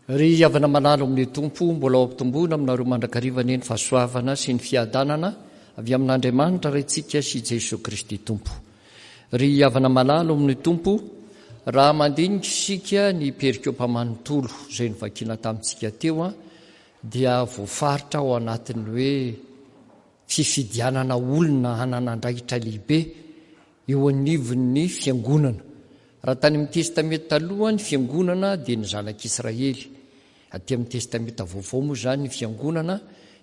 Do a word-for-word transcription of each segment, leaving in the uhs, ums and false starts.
Ry havana malala ao amin'ny Tompo, mbola ho ampitomboina aminareo mandrakariva anie ny fahasoavana sy ny fiadanana avy amin'Andriamanitra Raintsika sy Jesoa Kristy Tompo. Ry havana malala ao amin'ny Tompo, raha mandinika isika ny perikopa manontolo izay novakiana tamintsika teo dia voafaritra ao anatin'ny hoe fifidianana olona hanana andraikitra lehibe eo anivon'ny fiangonana. Raha tany amin'ny Testamenta Taloha ny fiangonana dia ny zanak'Israely. Aty amin'ny Testamenta Vaovao moa izany ny fiangonana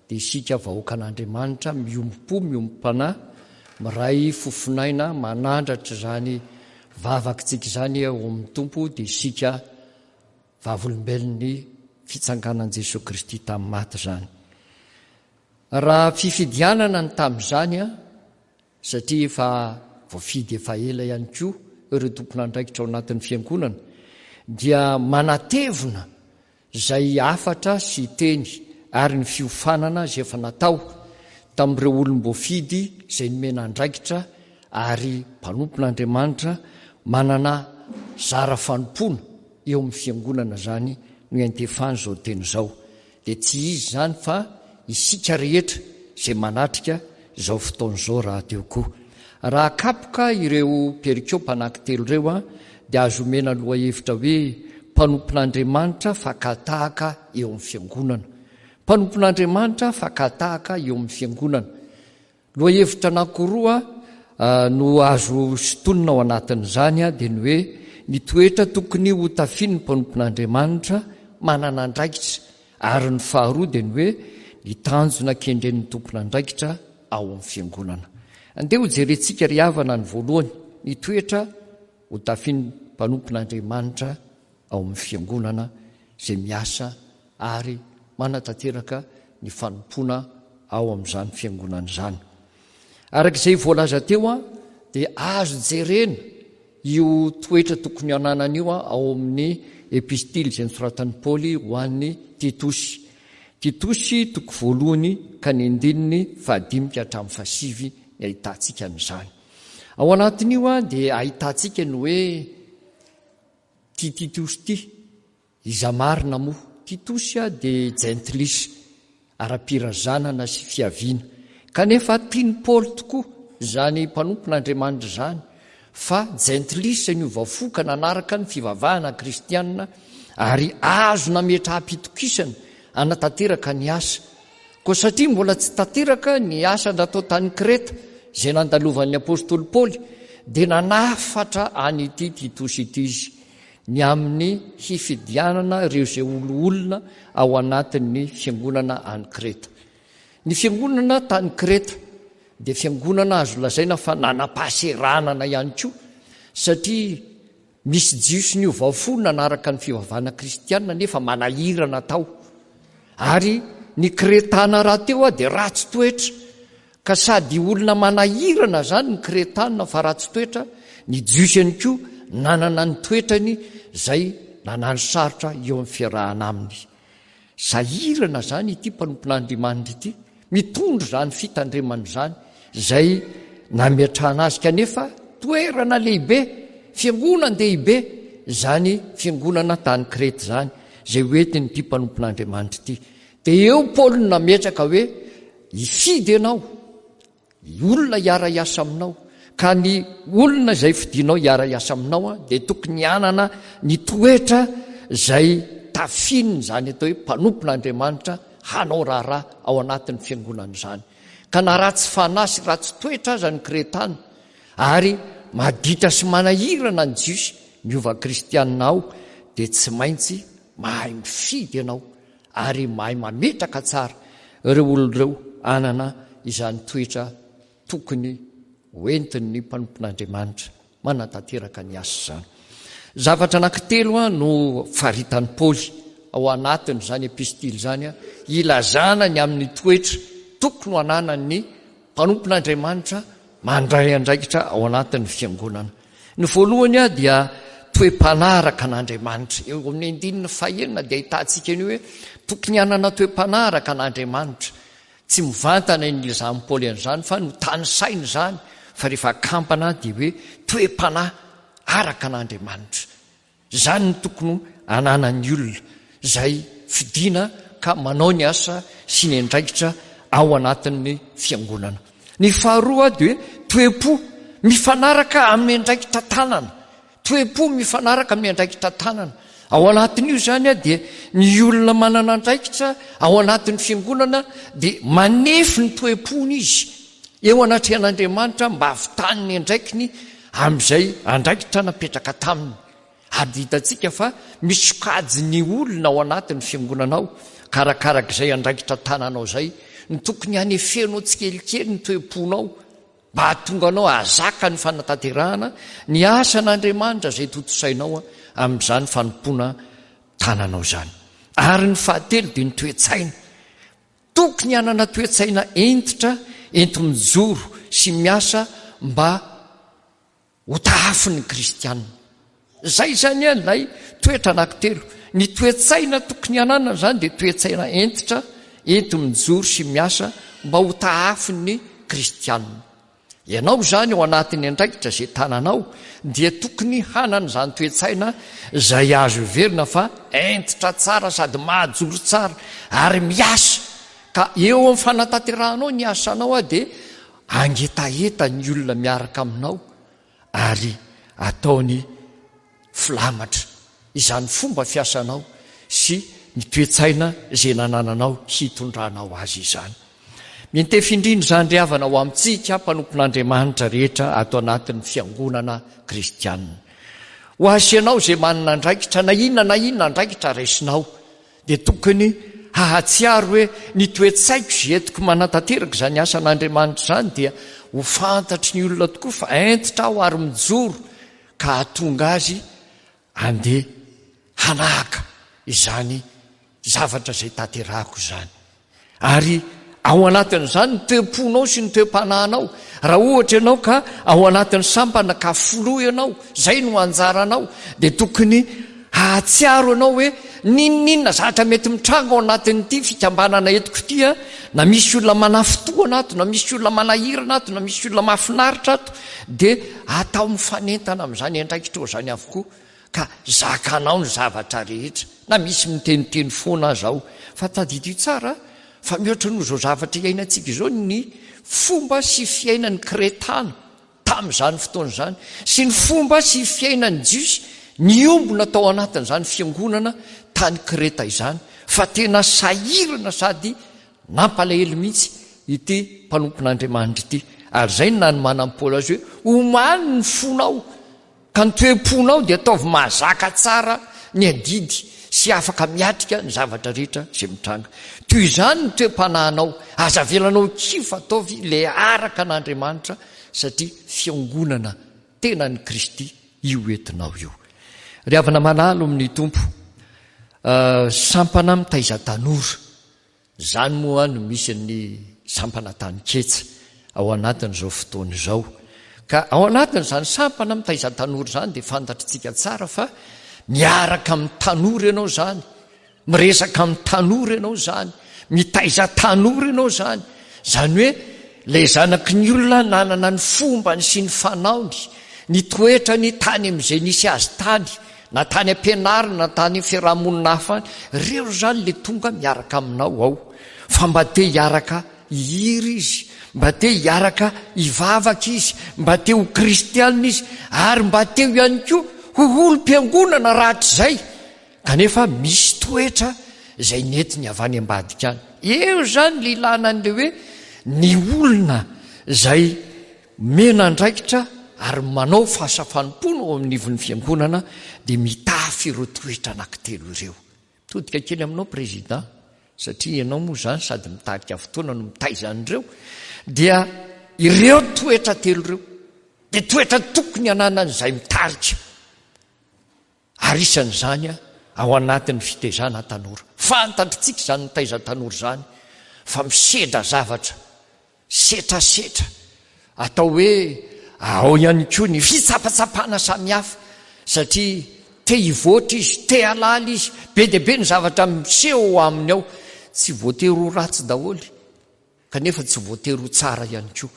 dia isika vahoakan'Andriamanitra miombom-po, miombom-panahy, miray fofonaina, manandratra izany vavakitsika izany ao amin'ny Tompo dia isika vavolombelon'ny fitsanganan'i Jesoa Kristy tamin'ny maty izany. Raha fifidianana ny tamin'izany, satria efa voafidy efa ela ihany koa ireo tompon'andraikitra ao anatin'ny fiangonana, dia manatevina izay hafatra sy teny ary ny fiofanana izay efa natao tamin'ireo olom-boafidy izay nomena andraikitra ary mpanompon'Andriamanitra manana zara fanompoana eo amin'ny fiangonana izany no iantefany izao teny izao. Dia tsy izy izany fa isika rehetra izay manatrika izao fotoana izao rahateo koa. Raha akapoka ireo perikopa anankitelo ireo dia azo omena lohahevitra hoe mpanompon'Andriamanitra fakatahaka eo amin'ny fiangonana. Mpanompon'Andriamanitra fakatahaka eo amin'ny fiangonana. Lohahevitra anankiroa no azo sintonina ao anatin'izany dia ny hoe ny toetra tokony ho tafian'ny mpanompon'Andriamanitra manana andraikitra, ary ny faharoa dia ny hoe ny tanjona kendren'ny tompon'andraikitra ao amin'ny fiangonana. Andeha ho jerentsika ry havana ny voalohany, ny toetra ho tafian'ny mpanompon'Andriamanitra ao amin'ny fiangonana izay miasa ary manatanteraka ny fanompoana ao amin'izany fiangonana izany. Araka izay voalaza teo dia azo jerena io toetra tokony hananana io ao amin'ny epistily izay nosoratan'i Paoly ho an'i Titosy. Titosy toko voalohany ka ny andininy fahadimy ka hatramin'ny fahasivy ny ahitantsika an'izany. Ao anatin'io dia ahitantsika ny hoe ity Titosy ity, iza marina moa? Titosy dia jentilisa, ara-pirazanana sy fiaviana. Kanefa tian'i Paoly tokoa izany mpanompon'Andriamanitra izany, fa jentilisa niova fo ka nanaraka ny fivavahana kristianina ary azo nametraham-pitokisana hanatanteraka ny asa. Koa satria mbola tsy tanteraka ny asa natao tany Kreta izay nandalovan'ny apostoly Paoly, dia nanafatra an'ity Titosy ity izy ny amin'ny hifidianana ireo izay olona ao anatin'ny fiangonana any Kreta. Ny fiangonana tany Kreta dia fiangonana azo lazaina fa nanam-pahaseranana ihany koa, satria misy Jiosy niova fo nanaraka ny fivavahana kristianina nefa manahirana tao. Ary ny Kretana rahateo dia ratsy toetra, ka sady olona manahirana izany ny Kretana fa ratsy toetra, ny Jiosy ihany koa nanana ny toetrany izay nanano sarotra eo amin'ny fiarahana aminy. Sahirana izany ity mpanompon'Andriamanitra ity, mitondra izany fitandremana izany izay nametrahana azy, kanefa toerana lehibe, fiangonan-dehibe izany fiangonana tany Kreta izany, izay hoentin'ity mpanompon'Andriamanitra ity. Dia eo Paoly no nametraka hoe hifidy ianao, olona hiara-hiasa aminao, ka ny olona izay fidinao hiara-hiasa aminao dia tokony hanana ny toetra izay tafiany izany atao hoe mpanompon'Andriamanitra hanao raharaha ao anatin'ny fiangonana izany. Ka na ratsy fanahy sy ratsy toetra aza ny Kretana ary maditra sy manahirana ny Jiosy miova kristianina ao, dia tsy maintsy mahay mifidy ianao ary mahay mametraka tsara ireo olona ireo hanana izany toetra tokony hoentin'ny mpanompon'Andriamanitra manatanteraka ny asa izany. Zavatra anankitelo no faritan'i Paoly ao anatin'izany epistily izany ilazana ny amin'ny toetra tokony ho ananan'ny mpanompon'Andriamanitra mandray andraikitra ao anatin'ny fiangonana. Ny voalohany dia toe-panahy araka an'Andriamanitra. Eo amin'ny andininy fahenina dia ahitantsika ny hoe tokony hanana toe-panahy araka an'Andriamanitra. Tsy mivantana ny ilazan'i Paoly an'izany fa notanisaina izany, fa rehefa akampana dia hoe toe-panahy araka an'Andriamanitra. Izany no tokony hananan'ny olona. izay fidiana ka manao ny asa sy ny andraikitra ao anatin'ny fiangonana. Ny faharoa dia hoe toe-po mifanaraka amin'ny andraikitra tanana. Toe-po mifanaraka amin'ny andraikitra tanana. Ao anatin'io izany dia ny olona manana andraikitra ao anatin'ny fiangonana dia manefy ny toe-pony izy eo anatrehan'Andriamanitra mba hahavitany ny andraikiny amin'izay andraikitra napetraka taminy. Ary dia hitantsika fa misy sokajy ny olona ao anatin'ny fiangonana ao, ka arakarak'izay andraikitra tananao izay no tokony hanefenao tsikelikely ny toe-ponao mba hahatonga anao hahazaka ny fanatanterahana ny asan'Andriamanitra izay tontosainao amin'izany fanompoana tananao izany. Ary ny fahatelo dia ny toe-tsaina. Tokony hanana toe-tsaina hentitra enti-mijoro sy miasa mba ho tahafin'ny kristianina. Izay izany ilay toetra anankitelo. Ny toe-tsaina tokony hananana izany dia toe-tsaina hentitra enti-mijoro sy miasa mba ho tahafin'ny kristianina. Ianao izany ao anatin'ny andraikitra izay tananao dia tokony hanana izany toe-tsaina izay azo heverina fa hentitra tsara sady mahajoro tsara ary miasa, ka eo amin'ny fanatanterahanao ny asanao dia hangetaheta ny olona miaraka aminao ary ataony filamatra izany fomba fiasanao sy ny toe-tsaina izay nanananao hitondranao azy izany. Miantefy indrindra izany ry havana ho amintsika mpanompon'Andriamanitra rehetra ato anatin'ny fiangonana kristianina. Ho azy sy ianao izay manana andraikitra na inona na inona andraikitra raisinao dia tokony hahatsiaro hoe ny toe-tsaiko izay entiko manatanteraka izany asan'Andriamanitra izany dia ho fantatry ny olona tokoa fa hentitra aho ary mijoro ka hahatonga azy handeha hanahaka izany zavatra izay tanterahako izany. Ary ao anatin'izany ny toe-ponao sy ny toe-panahinao. Raha ohatra ianao ka ao anatin'ny sampana ka filoha ianao, izay no anjaranao, dia tokony hahatsiaro ianao hoe n'inon'inona zavatra mety mitranga ao anatin'ity fikambanana entiko ity, na misy olona manafintohana ato, na misy olona manahirana ato, na misy olona mahafinaritra ato, dia atao mifanentana amin'izany andraikitrao izany avokoa, ka zakanao ny zavatra rehetra, na misy miteniteny foana aza ao. Fa tadidio tsara fa mihoatra noho izao zavatra iainantsika izao ny fomba sy fiainan'ny Kretana tamin'izany fotoana izany, sy ny fomba sy fiainan'ny Jiosy niombona tao anatin'izany fiangonana tany Kreta izany, fa tena sahirana sady nampalahelo mihitsy ity mpanompon'Andriamanitra ity. Ary izay no nanomanan'i Paoly azy hoe omany ny fonao, ka ny toe-ponao dia ataovy mahazaka tsara ny adidy sy afaka miatrika ny zavatra rehetra izay mitranga. Toy izany ny toe-panahinao, aza avelanao kivy fa ataovy ilay araka an'Andriamanitra, satria fiangonana tenan'i Kristy io entinao io. Ry havana malala amin'ny Tompo, sampana mitaiza tanora, izany moa no misy ny sampana taninketsa ao anatin'izao fotoana izao. Ka ao anatin'izany sampana mitaiza tanora izany dia fantatritsika tsara fa miaraka amin'ny tanora ianao izany, miresaka amin'ny tanora ianao izany, mitaiza tanora ianao izany. Izany hoe ilay zanaky ny olona nanana ny fombany sy ny fanaony, ny toetrany tany amin'izay nisy azy tany, na tany am-pianarana, na tany amin'ny fiarahamonina hafa any, ireo izany ilay tonga miaraka aminao ao. Fa mba te hiaraka hihira izy, mba te hiaraka hivavaka izy, mba te ho kristianina izy, ary mba te ho ihany koa ho olom-piangonana rahatrizay. Kanefa misy toetra izay nentiny avy any ambadika any. Eo izany ilay ilana an'ilay hoe ny olona izay mena andraikitra ary manao fahasafanompoana ao amin'ny ivon'ny fiangonana dia mitafy ireo toetra anankitelo ireo. Mitodika kely aminao président, satria ianao moa izany sady mitarika fotoana no mitaiza an'ireo, dia ireo toetra telo ireo dia toetra tokony hananan'izay mitarika. Ary isan'izany ao anatin'ny fitaizana tanora. Fantatritsika izany mitaiza tanora izany fa misedra zavatra, setrasetra, atao hoe ao ihany koa ny fitsapatsapana samihafa, satria te hivoatra izy, te halala izy, be dia be ny zavatra miseho aminy ao. Tsy voatery ho ratsy daholo, kanefa tsy voatery ho tsara ihany koa.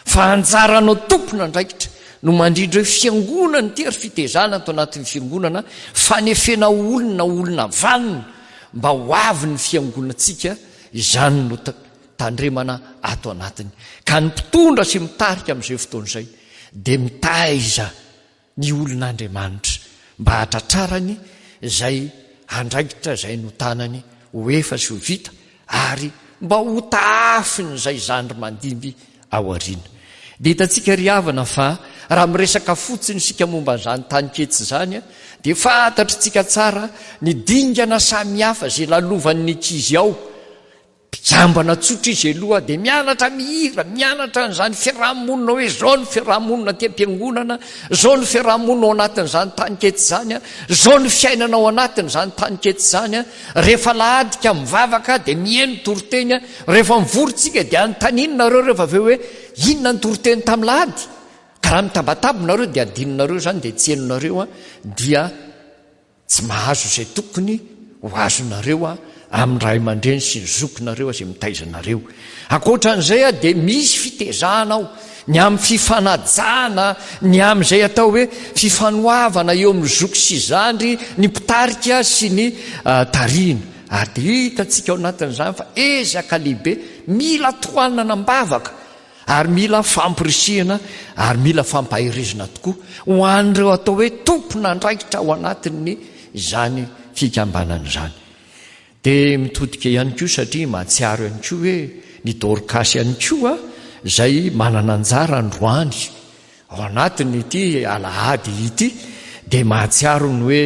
Fa anjaranao tompon'andraikitra no mandrindra hoe fiangonana ity ary fitezana ato anatin'ny fiangonana, fanefena olona, olona vanona, mba ho avy ny fiangonantsika, izany no tandremana ato anatiny. Ka ny mpitondra sy mitarika amin'izay fotoana izay dia mitaiza ny olon'Andriamanitra mba hatratrarany izay andraikitra izay notanany ho efa sy ho vita, ary mba ho tahafin'izay zandry mandimby ao aoriana. Dia hitantsika ry havana fa raha miresaka fotsiny isika momba an'izany taninketsy izany, dia fantatritsika tsara ny dingana samihafa izay lalovan'ny ankizy ao. Mpikambana tsotra izy aloha dia mianatra mihira, mianatra an'izany fiarahamonina hoe izao ny fiarahamonina aty am-piangonana, izao ny fiarahamonina ao anatin'izany taninketsy izany, izao ny fiainana ao anatin'izany taninketsy izany. Rehefa alahady ka mivavaka dia mihaino toriteny, rehefa mivory tsika dia anontaniana nareo rehefa avy eo hoe inona ny toriteny tamin'ny lahady. Ka raha mitabataba nareo dia adinonareo izany, dia tsy henonareo, dia tsy mahazo izay tokony ho azonareo amin'ny ray aman-dreny sy ny zokinareo izay mitaiza anareo. Ankoatran'izay dia misy fitezana ao, ny amin'ny fifanajana, ny amin'izay atao hoe fifanoavana eo amin'ny zoky sy zandry, ny mpitarika sy ny tarihina. Ary dia hitantsika ao anatin'izany fa ezaka lehibe mila tohanana am-bavaka, ary mila fampirisihana, ary mila fampaherezana tokoa ho an'ireo atao hoe tompon'andraikitra ao anatin'ny izany fikambanana izany. Dia mitodika ihany koa satria mahatsiaro ihany koa hoe ny Dorkasy ihany koa izay manana anjara androany ao anatin'ity alahady ity, dia mahatsiaro ny hoe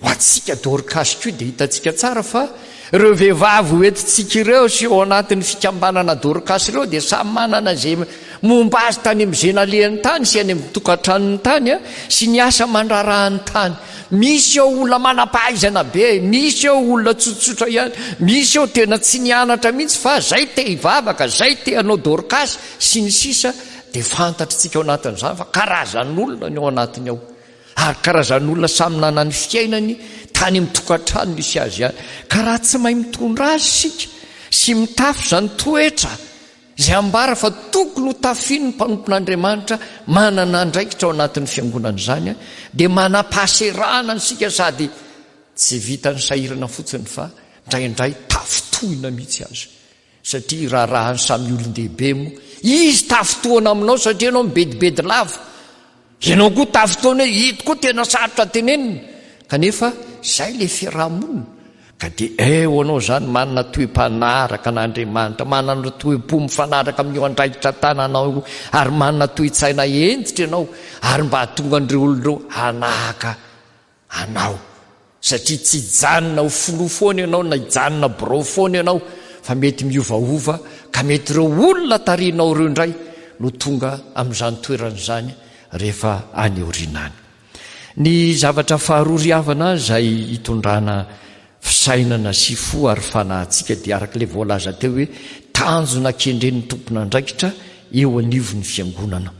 ho antsika Dorkasy koa dia hitantsika tsara fa ireo vehivavy hoentintsika ireo sy ao anatin'ny fikambanana Dorkasy ireo dia samy manana izay momba azy tany amin'izay nalehany tany sy any amin'ny tokantranony tany sy ny asa mandrarahany tany. Misy eo olona manam-pahaizana be, misy eo olona tsotsotra ihany, misy eo tena tsy nianatra mihitsy fa zay te hivavaka, zay te hanao Dorkasy sy ny sisa. Dia fantatritsika ao anatin'izany fa karazan'olona ny ao anatiny ao, ary karazan'olona samy nanana ny fiainany tany amin'ny tokantrano misy azy ihany. Ka raha tsy mahay mitondra azy isika sy mitafy izany toetra izay ambara fa tokony ho tafian'ny mpanompon'Andriamanitra manana andraikitra ao anatin'ny fiangonana izany, dia manam-pahaserana isika sady tsy vitan'ny sahirana fotsiny fa indraindray tafitohina mihitsy azy, satria raharahan'ny samy olon-dehibe moa izy tafitohana aminao satria ianao mibedibedy lava, ianao koa tafitohana hoe ito koa tena sarotra tenenina, kanefa izay ilay fiarahamonina. Ka dia eo anao izany manana toe-panaraka an'Andriamanitra, manana toe-po mifanaraka amin'io andraikitra tananao io, ary manana toe-tsaina hentitra ianao, ary mba hahatonga an'ireo olona ireo hanahaka anao, satria tsy hijanona ho filoha foana ianao na hijanona birao foana ianao, fa mety miovaova, ka mety ireo olona tarihinao ireo indray no tonga amin'izany toerana izany rehefa any aoriana any. Ny zavatra faharoa ry havana izay hitondrana fisainana sy fo ary fanahintsika dia araka ilay voalaza teo hoe tanjona kendren'ny tompon'andraikitra eo anivon'ny fiangonana.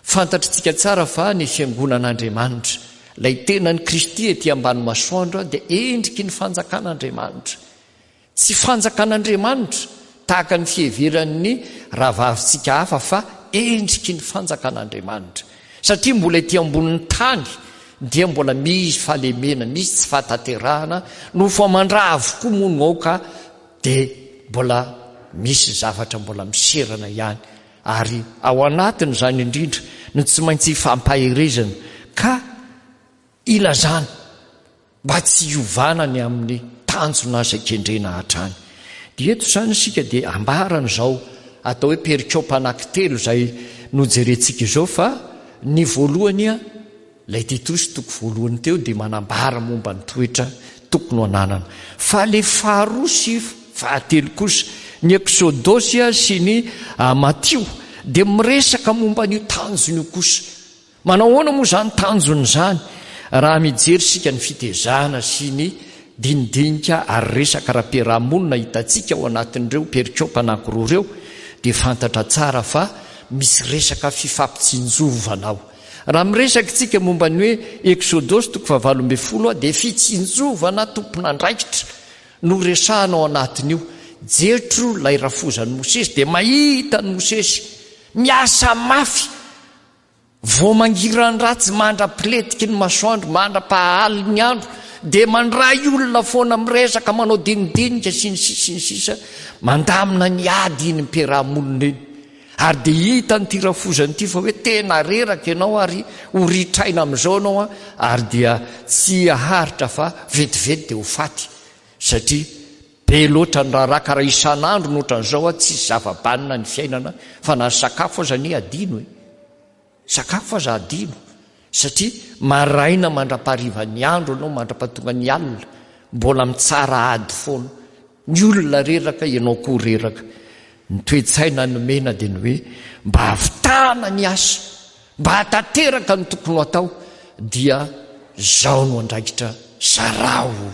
Fantatritsika tsara fa ny fiangonan'Andriamanitra, ilay tenan'i Kristy ety ambany masoandro, dia endriky ny fanjakan'Andriamanitra. Tsy fanjakan'Andriamanitra tahaka ny fiheveran'ny rahavavintsika hafa fa endriky ny fanjakan'Andriamanitra. Satria mbola ety ambonin'ny tany dia mbola misy fahalemena, misy tsy fahatanterahana, nofo aman-dra avokoa moa no ao ka dia mbola misy zavatra mbola miserana ihany. Ary ao anatin'izany indrindra no tsy maintsy fampaherezana ka ilazana mba tsy hiovana ny amin'ny tanjona izay kendrena hatrany. Dia eto izany isika dia ambarana izao atao hoe perikopa anankitelo izay nojerentsika izao, fa ny voalohany a, ilay Titosy toko voalohany teo dia manambara momba ny toetra tokony ho ananana. Fa ilay faharoa sy fahatelo kosa, ny Eksodosy sy ny Matio, dia miresaka momba an'io tanjona io kosa. Manao ahoana moa izany tanjona izany? Raha mijery isika ny fitezana sy ny dinidinika ary resaka ara-piarahamonina hitantsika ao anatin'ireo perikopa anankiroa ireo, dia fantatra tsara fa misy resaka fifampitsinjovana ao. Raha miresaka isika momba ny hoe Eksodosy toko fahavalo ambin'ny folo dia fitsinjovana tompon'andraikitra no resahana ao anatin'io. Jetro ilay rafozan'i Mosesy dia mahita an'i Mosesy miasa mafy, vao mangiran-dratsy mandra-piletiky ny masoandro, mandra-pahalin'ny andro, dia mandray olona foana, miresaka, manao dinidinika sy ny sisa sy ny sisa, mandamina ny ady iny mpiaraha-monina iny. Ary dia hitan'ity rafozana ity fa hoe tena reraka ianao ary ho ritraina amin'izao ianao a, ary dia tsy haharitra fa vetivety dia ho faty, satria be loatra ny raharaha, ka raha isan'andro no ohatran'izao a, tsisy zava-banona ny fiainana, fa na ny sakafo aza anie adino e. Sakafo aza adino, satria maraina mandra-paharivan'ny andro ianao, mandra-pahatonga ny alina, mbola mitsara ady foana. Ny olona reraka, ianao koa reraka. Ny toe-tsaina nomena dia ny hoe mba hahavitana ny asa, mba hahatanteraka ny tokony ho atao, dia izao no andraikitra, zarao.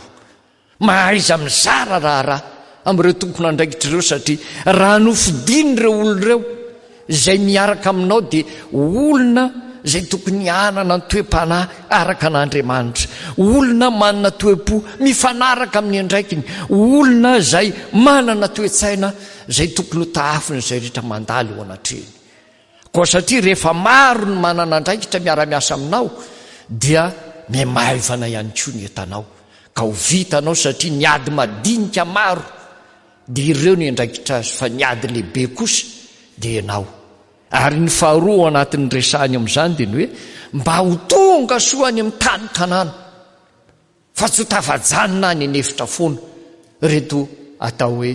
Mahaiza mizara raharaha amin'ireo tompon'andraikitra ireo, satria raha nofidin'ireo olona ireo izay miaraka aminao dia olona izay tokony hanana ny toe-panahy araka an'Andriamanitra, olona manana toe-po mifanaraka amin'ny andraikiny, olona izay manana toe-tsaina izay tokony ho tahafin'izay rehetra mandalo eo anatrehiny. Koa satria rehefa maro ny manana andraikitra miara-miasa aminao dia mihamaivana ihany koa ny entanao, ka ho vitanao, satria ny ady madinika maro dia ireo ny andraikitra azy, fa ny ady lehibe kosa dia ianao. Ary ny faharoa ao anatin'ny resahany amin'izany dia ny hoe mba ho tonga soa any amin'ny tany Kanana, fa tsy ho tafajanona any an'efitra foana reto atao hoe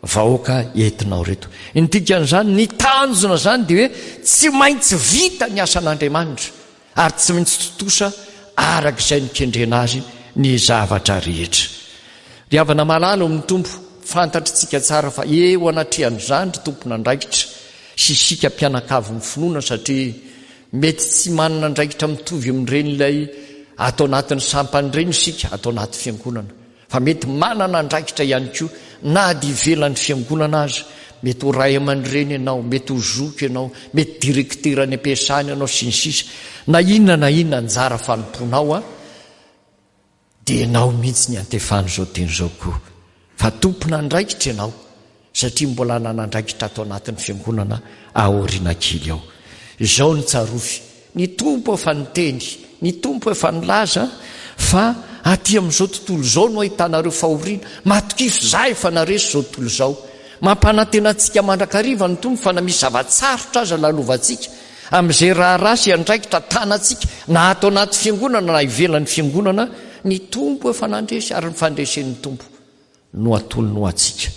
vahoaka entinao reto. Ny dikan'izany, ny tanjona izany dia hoe tsy maintsy vita ny asan'Andriamanitra ary tsy maintsy tontosa araka izay nikendrena azy ny zavatra rehetra. Ry havana malala ao amin'ny Tompo, fantatritsika tsara fa eo anatrehan'izany ry tompon'andraikitra sy isika mpianakavin'ny finoana, satria mety tsy manana andraikitra mitovy amin'ireny ilay ato anatin'ny sampana ireny isika ato anaty fiangonana, fa mety manana andraikitra ihany koa na dia ivelan'ny fiangonana aza. Mety ho ray aman-dreny ianao, mety ho zoky ianao, mety direktera any am-piasana ianao sy ny sisa. Na inona na inona anjara fanompoanao a, dia ianao mihitsy ny antefan'izao teny izao koa, fa tompon'andraikitra ianao, satria mbola nanandraikitra ato anatin'ny fiangonana aoriana kely ao. Izao no tsarovy, ny Tompo efa niteny, ny Tompo efa nilaza fa aty amin'izao tontolo izao no ahitanareo fahoriana. Matokia fa izaho efa naresy izao tontolo izao. Mampanantena antsika mandrakariva ny Tompo fa na misy zava-tsarotra aza lalovantsika amin'izay raharaha sy andraikitra tanantsika, na ato anaty fiangonana na ivelan'ny fiangonana, ny Tompo efa nandresy, ary ny fandresen'ny Tompo no atolony ho antsika.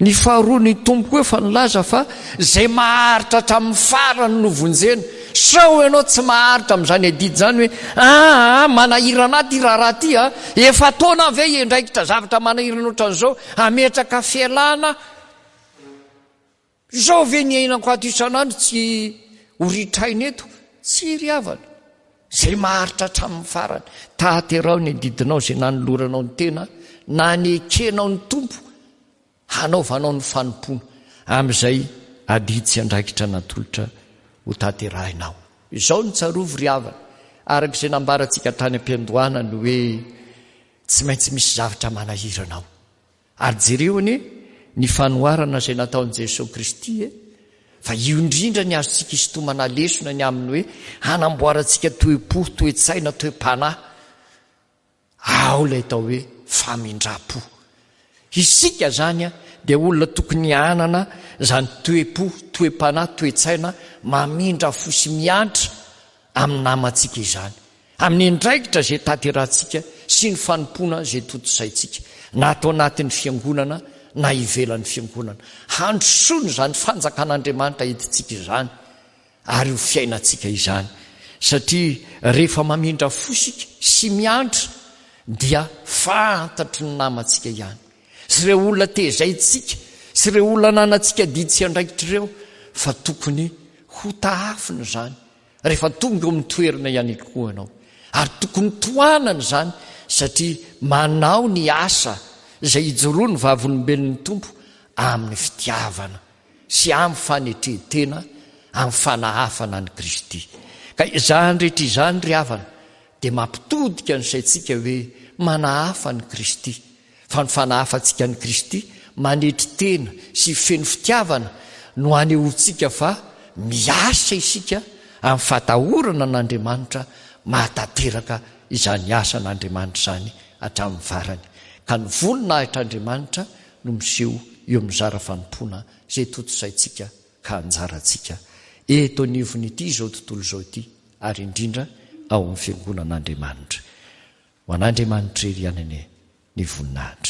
Ny faharoa, ny Tompo koa efa nilaza fa izay maharitra hatramin'ny farany no vonjena. Sao ianao tsy maharitra amin'izany adidy izany hoe aa manahirana ahy ity raharaha ity a, efa taona ve hiandraikitra zavatra manahirana ohatran'izao, hametraka fialana izao ve ny ainako ato isan'andro tsy ho ritraina eto? Tsy ry havana, izay maharitra hatramin'ny farany. Taterao ny adidinao izay nanoloranao ny tena, na nekenao ny Tompo hanaovanao ny fanompoana amin'izay adidy sy andraikitra natolotra ho tanterahinao. Izao no tsarovy ry havana, araka izay nambarantsika tany am-piandohana ny hoe tsy maintsy misy zavatra manahirana ao. Ary jereo anie ny fanoharana izay nataon'i Jesoa Kristy e, fa io indrindra ny azontsika isintomana lesona ny amin'ny hoe hanamboarantsika toe-po, toe-tsaina, toe-panahy. Ao ilay atao hoe famindram-po. Isika izany dia olona tokony hanana izany toe-po, toe-panahy, toe-tsaina mamindra fo sy miantra amin'ny namantsika izany, amin'ny andraikitra izay tanterahantsika sy ny fanompoana izay tontosaintsika, na ato anatin'ny fiangonana na ivelan'ny fiangonana. Handrosoana izany fanjakan'Andriamanitra entintsika izany ary ho fiainantsika izany, satria rehefa mamindra fo isika sy miantra dia fantatry ny namantsika ihany sy ireo olona tezaintsika sy ireo olona ananantsika adidy sy andraikitra ireo fa tokony ho tahafina izany rehefa tonga eo amin'ny toerana ihany koa ianao, ary tokony tohanana izany satria manao ny asa izay ijoroan'ny vavolombelon'ny Tompo amin'ny fitiavana sy amin'ny fanetren-tena, amin'ny fanahafana an'i Kristy. Ka izany rehetra izany ry havana dia mampitodika ny saintsika hoe manahafa an'i Kristy, fa ny fanahafantsika an'i Kristy manetry tena sy feno fitiavana no anehoantsika fa miasa isika amin'ny fatahorana an'Andriamanitra mahatanteraka izany asan'Andriamanitra izany hatramin'ny farany. Ka ny voninahitr'Andriamanitra no miseho eo amin'ny zara fanompoana izay tontosaintsika ka anjarantsika eto anivon'ity izao tontolo izao ity ary indrindra ao amin'ny fiangonan'Andriamanitra. Ho an'Andriamanitra irery ihany anie ny voninahitra.